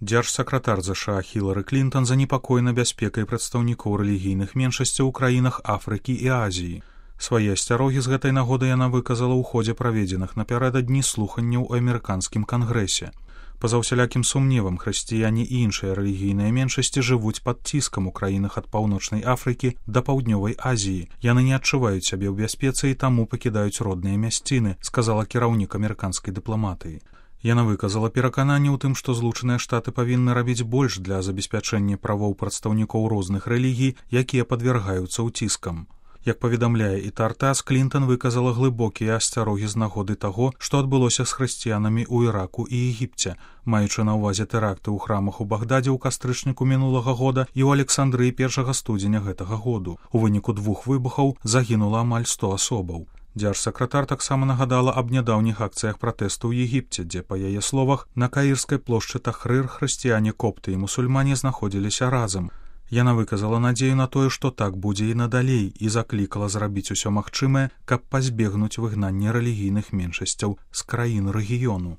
Дзяржсакратар ЗША Хілары Клінтон занепакоена бяспекай прадстаўнікоў рэлігійных меншасцяў у краінах Афрыкі і Азіі. Свае асцярогі з гэтай нагоды яна выказала ў ходзе праведзеных напярэдадні слуханняў у амерыканскім кангрэсе. Па-за ўсялякім сумневам, хрысціяне і іншыя рэлігійныя меншасці жывуць пад ціскам у краінах ад паўночнай Афрыкі да паўднёвай Азіі. Яны не адчуваюць сябе ў бяспецы і таму пакідаюць родныя мясціны, сказала кіраўнік амерыканскай дыпламатыі. Яна выказала перакананне ў тым, што Злучаныя Штаты павінны рабіць больш для забеспячэння правоў прадстаўнікоў розных рэлігій, якія падвяргаюцца ўціскам. Як паведамляе і Тартас, Клінтон выказала глыбокія асцярогі з нагоды таго, што адбылося з хрысціянамі ў Іраку і Егіпце, маючы на ўвазе тэракты ў храмах у Багдадзе ў кастрычніку мінулага года і ў Александрыі 1 студзеня гэтага году. У выніку 2 выбухаў загінула амаль 100 асобаў. Дзяржсакратар таксама нагадала аб нядаўніх акцыях пратэсту ў Егіпце, дзе, па яе словах, на каірскай плошчы Тахрыр хрысціяне копты і мусульмане знаходзіліся разам. Яна выказала надзею на тое, што так будзе і надалей, і заклікала зрабіць усё магчымае, каб пазбегнуць выгнання рэлігійных меншасцяў з краін рэгіёну.